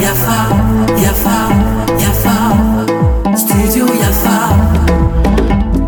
Yafa, Yafa, Yafa, Studio Yafa.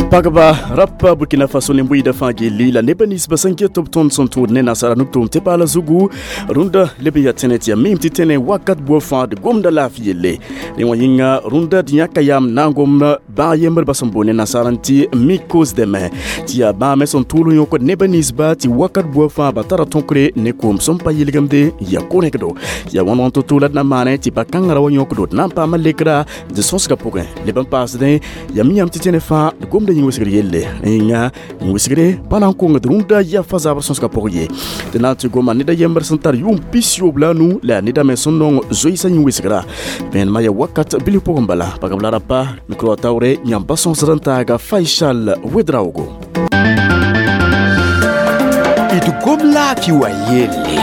Pagba rapa Burkina Faso ne mbuida fãa gilli la neb nins sẽn ket b tõnd sẽn tʋʋd ne nasaara nug-tʋʋm tɩ paala zugu rũndã leb n yaa tẽne tɩ yaa miim tɩ tẽne wakat bua fãa d gomda laafɩ yelle. Rẽ wã yĩnga rũndã d yãka yaam na n gom bãag yembr sẽn boond ne nasaar n tɩ mycose deme tɩ yaa bãag me sẽn tʋʋl n yõkd neb ninsba tɩ wakat bua fãa ba tara tõkre ne koom sẽn pa yɩlgemde yaa ko-rẽkdo. Yaa wãn to-to la d na maane tɩ ba-kãngã ra wa yõkdo d na n paama lekra d sõsgã pʋgẽ leb n paasdẽ yaa mi yãmb tɩ tẽne fãa d gomda yĩn-wesgr yelle. Yĩnga yĩn-wesgre pa na n kongd rũndã yafa zabr sõsgã pʋg ye. Tɩ na n tɩ goma ned a yembr sẽn tar yʋʋm 95 la yaa neda me sẽn nong zoeesã yĩn-wesgra. Vẽenemã yaa wakat bilf pʋgẽ bala. Pagb la rapa micro taoore yãmb pa sõsd n taaga Faisal Wedraogo. D gom laafɩ wã yelle.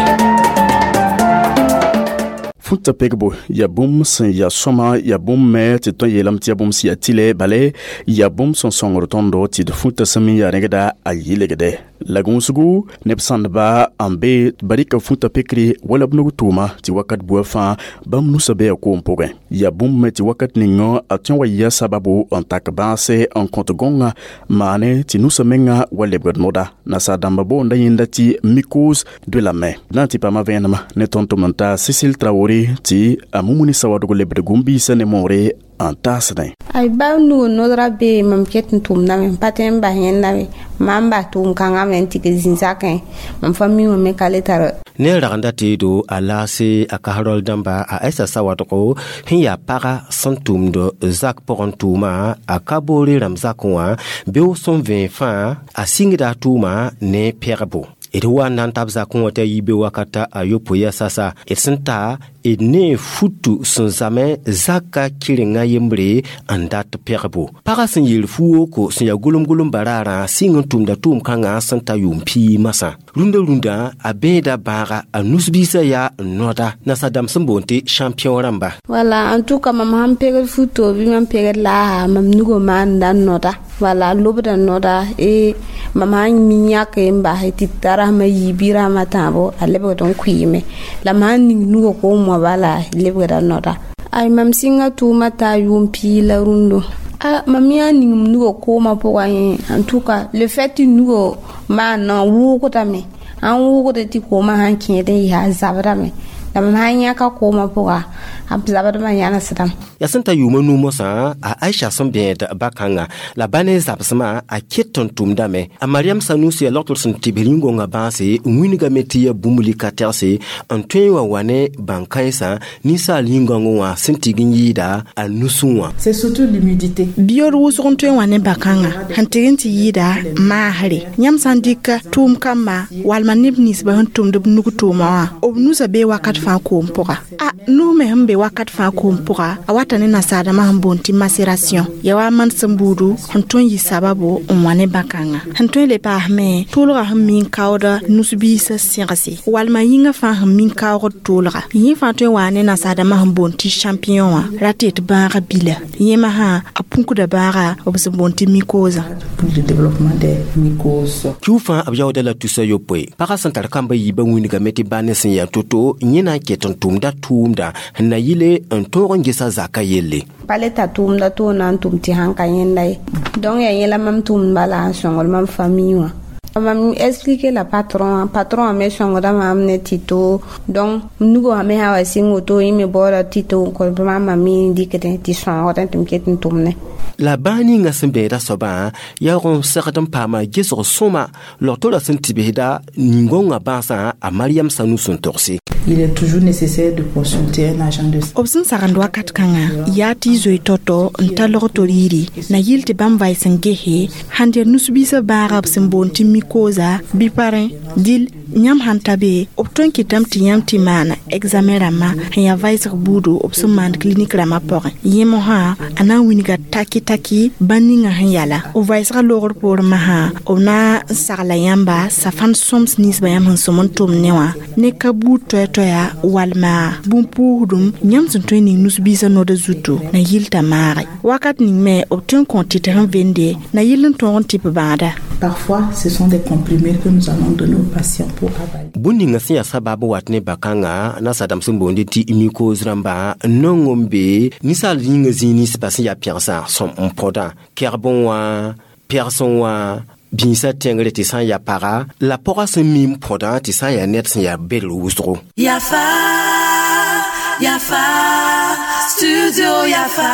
Fũta pegbo yaa bũmb sẽn yaa sõma, yaa bũmb me tɩ tõe n yeelame tɩ yaa bũmb sẽn yaa tɩlɛ, bale yaa bũmb sẽn sõngd tõndo tɩ d fũta sẽn me yaa rẽgda a yɩlgde. La gũusgu neb sãndba n be ba rɩka fũta pekre wala b nug tʋʋma tɩ wakat bua fãa bãmb nusã bee a koom pʋgẽ. Yaa bũmb me tɩ wakat ninga a tõe n wa yɩa sababu n tak bãase n kõt gõngã maane tɩ nusã menga wa lebgd noda. Nasaar-dãmbã boonda yẽnda tɩ mycose doe lame. Na n tɩ paama vẽenemã ne tõnd tʋm n taa Cécile Traoré tɩ a Mumuni Sawadogo lebd gũm-biisã ne moore n taasdẽ. Ay ba nugu nodra be mam ket n tʋmdame n pa tõe n bas yẽnda be mam bas tʋʋm kãngã me n tɩ zĩn-zakẽ mam fa mi wã me ka le tar. Ne ragenda teedo a laase a kasrol dãmba a Aïssa Sawadogo sẽn yaa paga sẽn tʋmd zak pʋgẽ tʋʋma a ka boore rãmb zakẽ wã beoog sẽn vẽe fãa a sɩngda a tʋʋma ne pɛgbo. D wa n na n tab zakẽ wã t'a yi be wakata a yopoe yaa sasa d sẽn ta d ne futu sẽn zame zaka kɩrenga yembre n dat pɛgbo. Pagã sẽn yeel fu-woko sẽn yaa gʋlem-gʋlem baraarã sɩng n tʋmda tʋʋm-kãngã sẽn ta yʋʋm piig masã. Rũndã a bẽeda bãaga a nus-biisã yaa noda nasaar-dãmb sẽn boond tɩ champion rãmba. Wala en tout cas mam sãn pegd futo bɩ mam pegd laasa mam nugã maanda noda. Wala lobda noda e mam sãn mi yãk n bas tɩ t'a rasmã yii bɩ rasmã tãabo a lebgd n kʋɩɩme la mam sãn ning nugã koom wã bala lebgda noda. Ay mam sɩnga tʋʋma t'a yʋʋm piig la rũndo. A mam yã ning m nugã koomã pʋgã yẽ en tout cas le fait tɩ nugã maan n wʋʋgdame an wʋʋgda tɩ koomã sãn kẽed n yɩ a zabdame la mam sãn yãka koomã pʋga a zabdmã yãnesdame. Yaa sẽn ta yʋʋma nuu mosã a Aïcha sẽn bẽed ba-kãngã la ba ne zabsmã a ket n tʋmdame. A Mariam Sanusi yaa logtr sẽn tɩbs yĩn-gõngã bãase n wilgame tɩ yaa bũmb lika tɛgse n tõe n wa wa ne bãn-kãensã ninsaal yĩn-gãongẽ wã sẽn tig n yɩɩda a nusẽ wã. C'est surtout l'humidité. Biyood wʋsg n tõe n wa ne ba-kãngã sẽn tɩg n tɩ yɩɩda maasre. Yãmb sã n dɩka tʋʋm kamba walma neb ninsbã sẽn tʋmd b nug tʋʋma wã b nusã bee wakat fãa koom pʋga. A nus me sẽn be wakat fãa koom pʋga a wata ne nasaar-dãmbã sẽn boond tɩ macération yaa wa man sẽn buudu sẽn tõe n yɩ sababu n wa ne bã-kãngã. Sẽn tõe n le paasme tʋʋlgã sẽn mi n kaood nus-biisã sẽgse walma yĩngã fãa sẽn mi n kaoogd tʋʋlga. Yẽ fãa tõe n waa ne nasaar-dãmbã sẽn boond tɩ champignon wã ra tɩ d bãagã bila. Yẽ masã a pũkda bãaga b sẽn boond tɩ mycose. Pour le développement des mycoses. Kiu fãa b yaooda la tusa yopoe. Pagã sẽn tar kamba yiibã wilgame tɩ bãane sẽn yaa to-to yẽ na n ket n tʋmda tʋʋmda sẽn na yɩle n tõog n gesa zaka yelle. Pa le ta tʋʋmda toor na n tʋm tɩ sãn ka yẽnda ye. Donc yaa yẽla mam tʋʋmd bala n sõngd mam famille wã. Mam expliqué la patron, patron me sõngda mam ne tɩ to donc nugã me sã wa sɩng woto yẽ me baooda tɩ to n kõ mam me dɩkdẽ tɩ sõogdẽ tɩ m ket n tʋmne. La bãag ninga sẽn bẽeda soabã yaoog n segd n paama gesg sõma log-toorã sẽn tɩbsda nin-gõngã bãasã a Mariam Sanu sẽn togse. Il est toujours nécessaire de consulter un agent de B sẽn sagend wakat kãngã yaa tɩ y zoe tao-tao n ta log-to riiri na yɩl tɩ bãmb vaɩs n gese sãn der nus-biisã bãaga b sẽn boond tɩ mycose bɩ parẽ dɩl yãmb sãn ta be b tõe n kɩtame tɩ yãmb tɩ maan examen rãmbã sẽn yaa vɩsg buudo b sẽn maand clinique rãmbã pʋgẽ. Yẽ mosã a na n wilga taki-taki bãn ninga sẽn yala. B vɩsgã loogr poorẽ masã b na n sagla yãmba safãn sõms ninsbã yãmb sẽn sõm n tʋm ne wã ne ka buud toɛ-toɛya walma bũn-puusdum yãmb sẽn tõe n ning nus-biisã noda zuto na yɩl t'a maage. Wakat ning me b tõe n kõ tɩt sẽn vende na yɩl n tõog n tɩ b bãada. Parfois, ce sont des comprimés que nous allons donner aux patients pour avaler. Bũmb ninga sẽn yaa sabab n wat ne bakãngã nasadãmb sẽn boonde tɩ mycose rãmba nong n be ninsaal yĩngã zĩig ninsbã sẽn yaa pẽgsã sõm n põdã kɛgbẽ wã pɛgsẽ wã bĩisã tẽngre tɩ sã n yaa paga la pɔgã sẽn mi n põdã tɩ sã n yaa ned sẽn yaa bedr wʋsgo. Yafa, Yafa, Studio Yafa.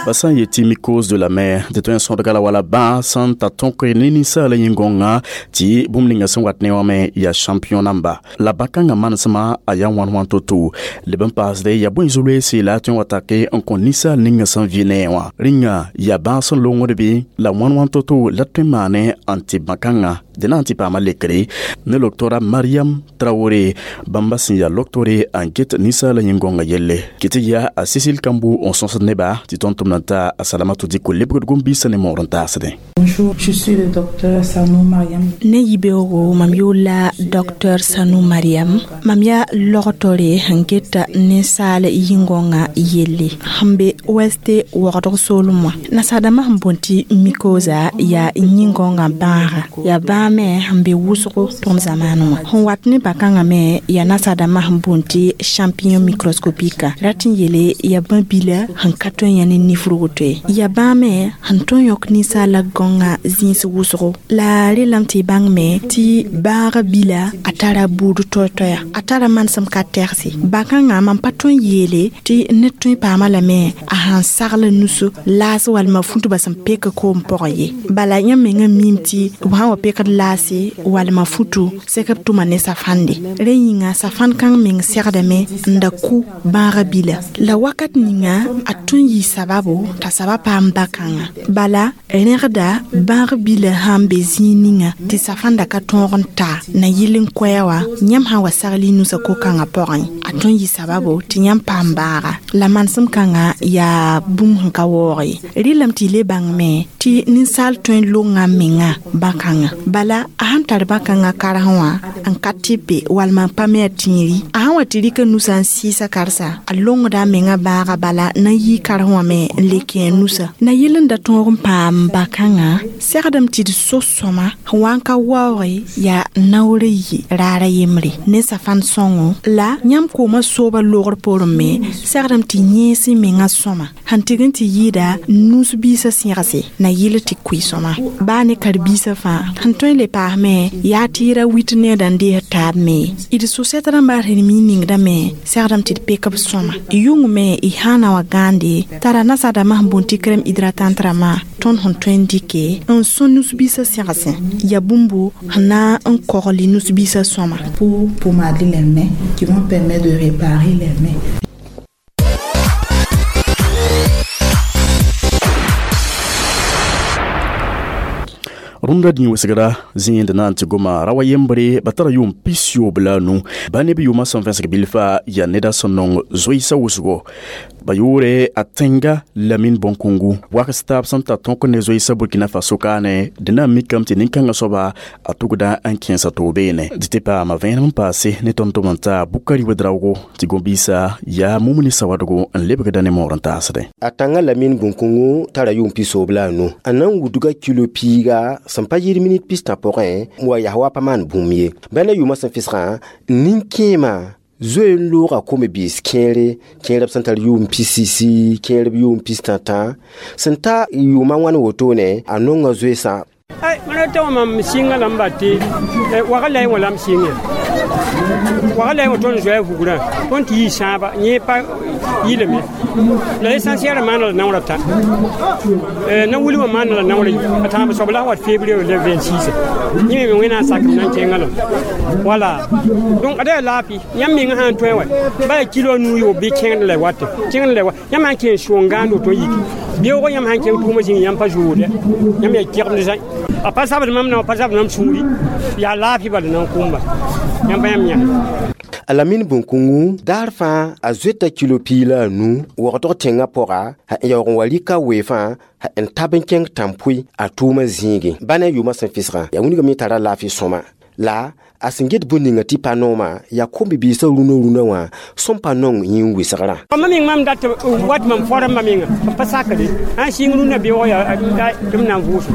Ba sã n yetɩ mycose de la mer tɩ tõe n sõdga la wala bãa sẽn ta tõk ne ninsaala yĩn-gõngã tɩ bũmb ninga sẽn wat ne wã me yaa champion namba la bã-kãngã manesmã a yaa wãn-wãn to-to leb n paasde yaa bõe zu-loeese la a tõe n wa take n kõ ninsaal ninga sẽn vɩ ne wã rĩnga yaa bãag sẽn longd bɩ la wãn-wãn to-to la tõe n maane n tɩ bã-kãngã dẽna n tɩ paama lekre ne loktora Mariam Traoré bãmba sẽn yaa loktore n get ninsaala yĩn-gõngã yelle kɩ tɩ yaa a Cécile Kambu n sõsd neba tɩ tõnd tʋmd n ta a Salamatu Diko lebgd gom-biisã ne moor n taasdẽ. Bonjour, je suis le docteur Sanou Mariam. Ne yibeoogo mam yʋʋl docteur Sanou Mariam. Mam yaa logtore sẽn geta ninsaal yĩn-gõngã yelle sẽn be OST wagdg soolem wã. Nasaadãmbã sẽn boond tɩ mycosa yaa yĩn-gõngã bãaga yaa bãag me sẽn be wʋsgo tõnd zamaanẽ wã. Sẽn wat ne bã-kãngã me yaa nasaadãmbã sẽn boond tɩ champignon microscopique rat n yeele yaa bã-bila sẽn ka tõe n yã ne nifrg to ye. Yaa bãag me sẽn tõe n yõk ninsaala gõngã zĩis wʋsgo la relame tɩ y bãng me tɩ bãaga bila a tara buud toɛ-toɛya a tara manesem ka tɛgse bã-kãngã mam pa tõe n yeele tɩ ned tõe n paama lame a sãn sagl nusu laas walma funtba sẽn pek koom pʋgẽ ye bala yãmb mengã miime tɩ b sã n wa pekd laase walma futu sẽk b tʋma ne safande rẽ yĩnga safãn kãng meng segdame n da kʋ bãaga bila la wakat ninga a tõe n yɩ sababo t'a saba paam bã-kãngã bala rẽgda bãag bila sãn be zĩig ninga tɩ safãnda ka tõog n ta na yɩl n koɛɛ wã yãmb sã n wa sagl y nusã ko-kãngã pʋgẽ a tõe n yɩ sababo tɩ yãmb paam bãaga la manesem kãngã yaa bũmb sẽn ka waoog ye rɩlame tɩ y le bãng me tɩ ninsaal tõe n longa menga bã-kãngã bala a sãn tar bã-kãngã karsẽ wã n ka tɩpe walma n pa me a tĩiri a sãn wa tɩ rɩka nusã n sɩɩsa karsa a longda a menga bãaga bala na n yɩ karsẽ wã me n le kẽ a nusã na yɩl n da tõog n paam bã-kãngã segdame tɩ d so sõma sẽn wa n ka waooge yaa naoor yi raara yembre ne safãn sõngo la yãmb koomã sooba loogr poorẽ me segdame tɩ yẽes y mengã sõma sẽn tɩg n tɩ yɩɩda nus-biisã sẽgse na yɩl tɩ kʋɩ sõma baa ne karen-biisã fãa sẽn tõe n le paasme yaa tɩ y ra wit needa n dees taab me d sosɛt rãmbã rẽnem y ningdame segdame tɩ d pek b sõma yʋng me y sã n na wa gãande tara nasaadãmbã sẽn boond tɩ crème hydratante rãmbã tõnd sẽn tõe n dɩke n sõ nus-biisã sẽgsẽ yaa bũmbo sẽn na n kogl y nus-biisã sõma. Pour pommader les mains, qui vont permettre de réparer les mains. Rũndã dĩ wesgra zĩend na n tɩ goma ra wa yembre ba tara yʋʋm pisyoob la a nu ba neb yʋʋmã sẽn vẽsg bilfa yaa neda sẽn nong zoeesã wʋsgo ba yʋʋre a tẽnga Lamine Bonkungu wakas taab sẽn ta tõk ne zoeesã Burkina Faso kaane dẽna n mikame tɩ nin-kãngã soaba a tugda n kẽesa to-beene dɩ tɩ paama vẽenem n paase ne tõnd tʋm n taa Bukari Wedraogo tɩ gom-biisã yaa Mumuni Sawadogo n lebgda ne moor n taasdẽ. A tãngã Lamine Bonkungu tara yʋʋm pisoobl la a nu a na n wudga kilo piiga sẽn pa yɩɩd minit pistã pʋgẽ wa yaa wa pa maan bũmb ye bala yʋʋmã sẽn fisgã nin-kẽemã zoe n looga kome-biis kẽere kẽerb sẽn tar yʋʋm pisisi kẽerb yʋʋm pistã-tã sẽn ta yʋʋmã wãn wotone a nonga zoeesã. Mam tɩ mam sɩnga lame ba tɩ wagr la y wã lame sɩnge wagr la y wã tõnd zoɛɛ vugrã tõnd tɩ yɩ sãaba yẽ pa yɩlame la l'essentiel maana la naoor a tã na wilgmã maana la naoor a tãab soab la wat février le 26 yẽ me wẽnnaam sakem na n kẽngã lame wala donc ada yaa laafɩ yãmb mengã sã n tõe wa ba yaa kilo a nuu yoob bɩ kẽngd la y wat kẽngd la y wa yãmb sã n kẽen sʋʋng gãand woto n yiki beoogã yãmb sã n kẽng tʋʋmã zĩnga yãmb pa zoode yãmb yaa kegmd zã a pa zabd mam na pa zabd mam sũuri yaa laafɩ bala na n kʋmba yãmb pa yãmb yã. A Lamine Bonkungu daar fãa a zoeta kilo piig la a nu wagdg tẽngã pʋga n yaoog n wa rɩka weefã n tab n kẽng tãn-pʋɩ a tʋʋmã zĩigẽ bã ne a yʋʋmã sẽn fisgã yaa wilgame tara laafɩ sõma la A sẽn get bũmb ninga tɩ pa noomã yaa kom-bibiisã rũnã rũnã wã sẽn pa nong yĩn wɩsgrã. Mam meng mam dat wat mam forma menga pa sakre ã sɩng rũnã beoog yaa tɩ m na n vʋʋs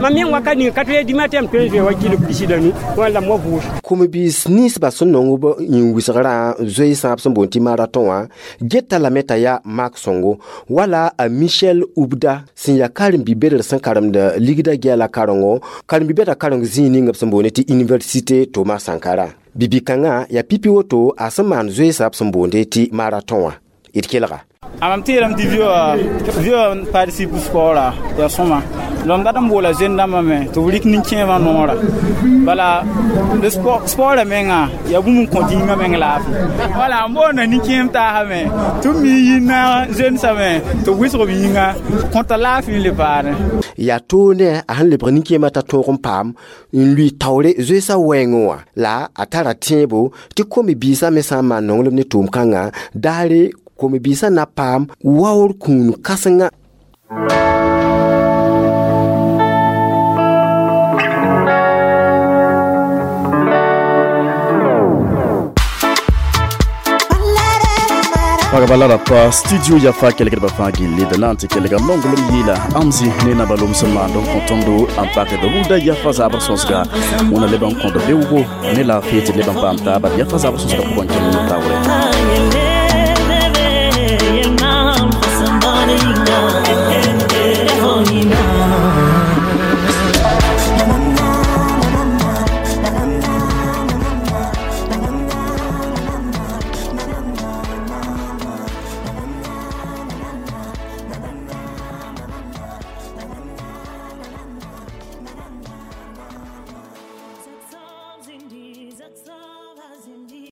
mam meng wakat ninga 4 heures du matin m tõe n zoe wa kɩlg bisida nu wala m wa vʋʋs. Kom-biis ninsbã sẽn nong b yĩn wɩsgrã zoe sãab sẽn boond tɩ marathon wã geta lame t'a yaa mak sõngo wala a Michel Ubda sẽn yaa karen-bi-bedr sẽn karemd ligda gɛɛla karengo karen-bi-bɛda kareng zĩig ning b sẽn boond tɩ université Thomas Sankara. Bibi-kãngã yaa pipi woto a sẽn maan zoeesã b sẽn boonde tɩ marathon wã. D kelga. Mam tɩɩdame tɩ vɩ participe sport yaa sõma la m dat n boola zend-dãmbã me tɩ b rɩk nin-kẽemã noora bala sportã menga yaa bũmb n kõ dĩngã meng laafɩ wala n boonda nin-kẽem taasame tɩ b mi yĩnna zoensã me tɩ b wɩsg b yĩnga kõta laafɩ n le paane. Yaa toog ne a sẽn lebg nin-kẽemã t'a tõog n paam n lʋɩ taoore zoeesã wɛɛngẽ wã la a tara tẽebo tɩ kom-biisã me sã n maan nonglem ne tʋʋm-kãngã daare kom-biisã na paam waoor kũun kãsenga. Pagba la rapa studio yafa kelgdbã fãa gilli d na n tɩ kelga nonglem yɩɩla amzi ne nabalom sẽn maand n kõ tõndo n pakd rũdã yafa zaabr sõsga wẽna leb n kõd beoogo ne laafɩ tɩ leb n paam taaba yafa zaabr sõsga pʋgẽ kẽng taoore.